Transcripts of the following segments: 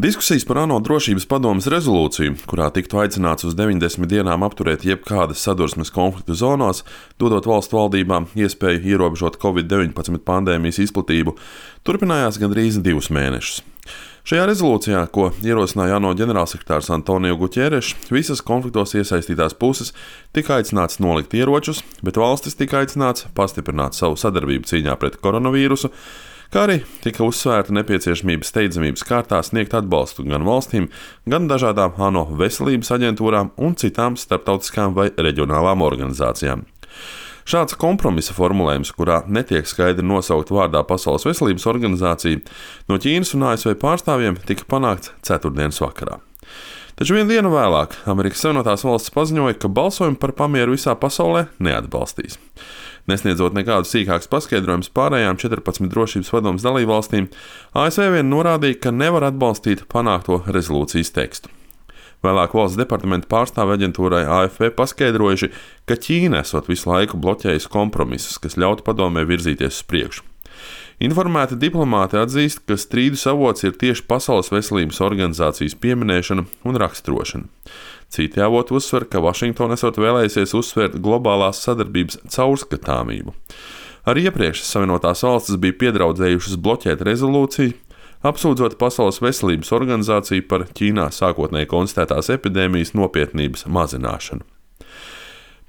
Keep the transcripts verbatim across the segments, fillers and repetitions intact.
Diskusijas par ANO drošības padomes rezolūciju, kurā tiktu aicināts uz deviņdesmit dienām apturēt jebkādas sadursmes konfliktu zonās, dodot valstu valdībām iespēju ierobežot covid deviņpadsmit pandēmijas izplatību, turpinājās gandrīz divus mēnešus. Šajā rezolūcijā, ko ierosināja ANO ģenerālsekretārs Antonio Guterres, visas konfliktos iesaistītās puses tika aicināts nolikt ieročus, bet valstis tika aicināts pastiprināt savu sadarbību cīņā pret koronavīrusu, kā arī tika uzsvērta nepieciešamība steidzamības kārtā sniegt atbalstu gan valstīm, gan dažādām ANO veselības aģentūrām un citām starptautiskām vai reģionālām organizācijām. Šāds kompromisa formulējums, kurā netiek skaidri nosaukt vārdā Pasaules veselības organizācija, no Ķīnas un A S V pārstāvjiem tika panākts ceturtdienas vakarā. Taču vienu dienu vēlāk Amerikas Savienotās valstis paziņoja, ka balsojumu par pamieru visā pasaulē neatbalstīs. Nesniedzot nekādus sīkākus paskaidrojumus pārējām četrpadsmit drošības padomes dalībvalstīm, A S V vien norādīja, ka nevar atbalstīt panākto rezolūcijas tekstu. Vēlāk valsts departamenta pārstāve aģentūrai A F P paskaidrojuši, ka Ķīna esot visu laiku bloķējusi kompromisus, kas ļautu padomē virzīties uz priekšu. Informēti diplomāti atzīst, ka strīdus avots ir tieši Pasaules veselības organizācijas pieminēšana un raksturošana. Citi avoti uzsver, ka Vašingtona esot vēlējusies uzsvērt globālās sadarbības caurskatāmību. Arī iepriekš Savienotās valstis bija piedraudzējušas bloķēt rezolūciju, apsūdzot Pasaules veselības organizāciju par Ķīnā sākotnēji konstatētās epidēmijas nopietnības mazināšanu.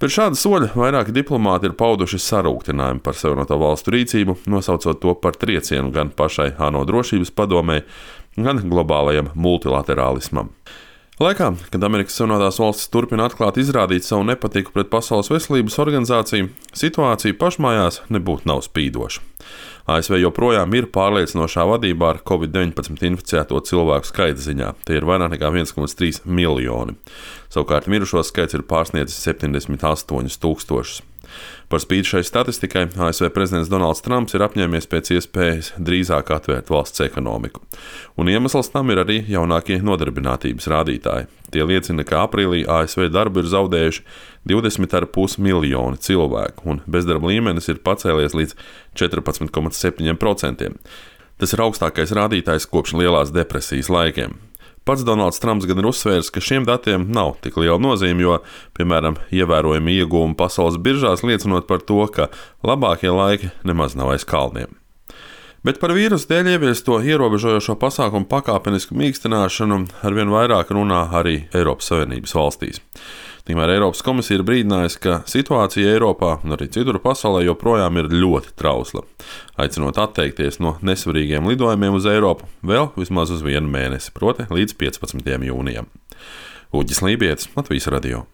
Pēc šāda soļa vairāki diplomāti ir pauduši sarūktinājumu par Savienoto valstu rīcību, nosaucot to par triecienu gan pašai ANO drošības padomei, gan globālajam multilaterālismam. Laikā, kad Amerikas Savienotās valstis turpina atklāti izrādīt savu nepatiku pret Pasaules veselības organizāciju, situācija pašmājās nebūtu nav spīdoša. A S V joprojām ir pārliecinošā vadībā ar covid deviņpadsmit inficēto cilvēku skaita ziņā. Tie ir vairāk nekā viens komats trīs miljoni. Savukārt mirušo skaits ir pārsniedzis septiņdesmit astoņus tūkstošus. Par spīti šai statistikai A S V prezidents Donalds Trumps ir apņēmies pēc iespējas drīzāk atvērt valsts ekonomiku. Un iemesls tam ir arī jaunākie nodarbinātības rādītāji. Tie liecina, ka aprīlī A S V darbu ir zaudējuši divdesmit komats pieci miljoni cilvēku, un bezdarba līmenis ir pacēlies līdz četrpadsmit komats septiņi procenti. Tas ir augstākais rādītājs kopš lielās depresijas laikiem. Pats Donalds Trumps gan ir uzsvērs, ka šiem datiem nav tik liela nozīme, jo, piemēram, ievērojami iegūmi pasaules biržās liecinot par to, ka labākie laiki nemaz nav aiz kalniem. Bet par vīrusu dēļ ieviesto ierobežojošo pasākumu pakāpenisku mīkstināšanu arvien vairāk runā arī Eiropas Savienības valstīs. Tikmēr Eiropas komisija ir brīdinājusi, ka situācija Eiropā un arī citur pasaulē joprojām ir ļoti trausla, aicinot atteikties no nesvarīgiem lidojumiem uz Eiropu vēl vismaz uz vienu mēnesi, proti līdz piecpadsmitajam jūnijam. Uģis Lībietis, Latvijas radio.